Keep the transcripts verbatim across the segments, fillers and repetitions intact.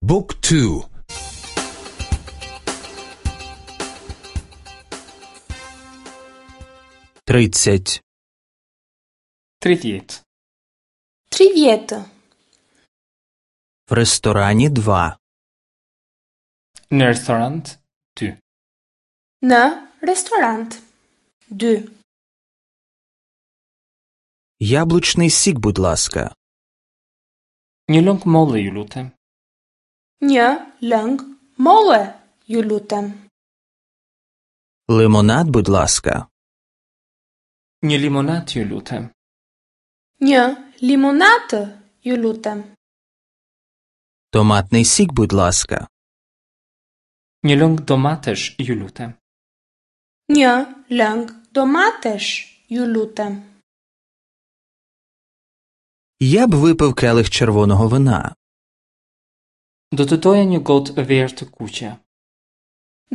Book two. Тридцять. Tridhjetë. Tridhjetë. В ресторані два. Në restorant dy. Në restorant dy. Яблучний сік, будь ласка. Një lëng molle, ju lutem. Një lëng molle, ju lutem. Лимонад, будь ласка. Një limonat, ju lutem. Një limonatë, ju lutem. Томатний сік, будь ласка. Një lëng domatesh, ju lutem. Një lëng domatesh, ju lutem. Я б випив келих червоного вина. Do të doja një gotë verë të kuqe.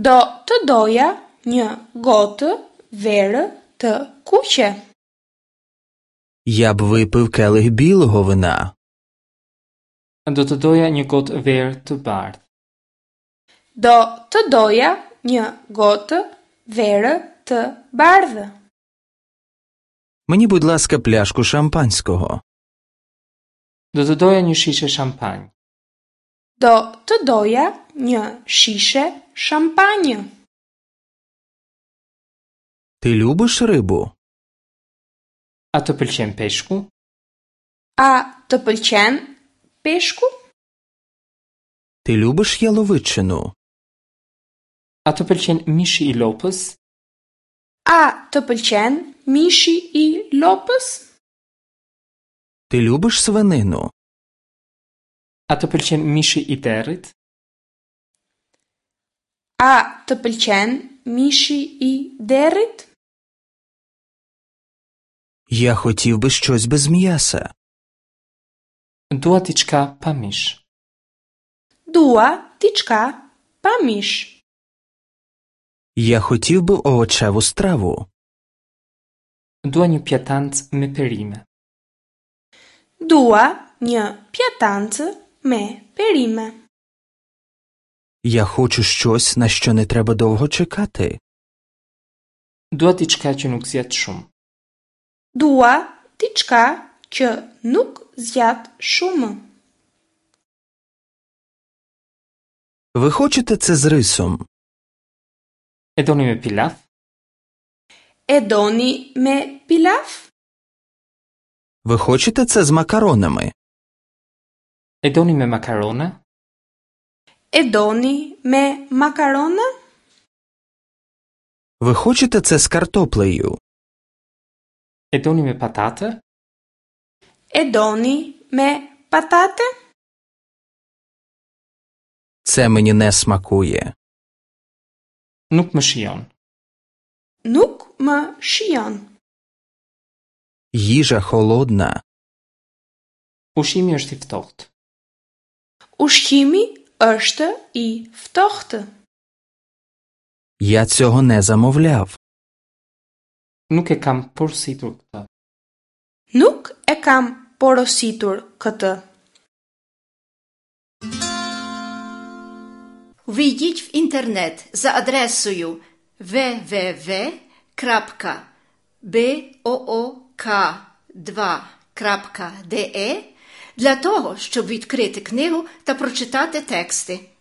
Do të doja një gotë verë të kuqe. Я б випив келих білого вина. Do të doja një gotë verë të bardhë. Do të doja një gotë verë të bardhë. Мені, будь ласка, пляшку шампанського. Do të doja një shishe shampanjë. Do të doja një shishe shampanjë. Ти любиш рибу? A të pëlqen peshku? A të pëlqen peshku? Ти любиш яловичину? A të pëlqen mishi i lopës? A të pëlqen mishi i lopës? Ти любиш свинину? A të pëlqen mishi i derrit? A të pëlqen mishi i derrit? Я хотів би щось без м'яса. Dua diçka pa mish. Dua diçka pa mish. Я хотів би овочеву страву. Dua një pjatancë me perime. Dua një pjatancë me perime. Я хочу щось, на що не треба довго чекати. Dua diçka që nuk zgjat shumë. Dua diçka që nuk zgjat shumë. Ви хочете це з рисом? E doni me pilaf? E doni me pilaf? Ви хочете це з макаронами? E doni me makarona? E doni me makarona? Ви хочете це з картоплею? E doni me patate? E doni me patate? Це мені не смакує. Nuk më shijon. Nuk më shijon. Їжа холодна. Ushqimi është i ftohtë. Ushqimi është i ftohtë. Я цього не замовляв. Nuk e kam porositur këtë. Nuk e kam porositur këtë. Ввійдіть в інтернет за адресою ве ве ве крапка бе о о ка два крапка де е для того, щоб відкрити книгу та прочитати тексти.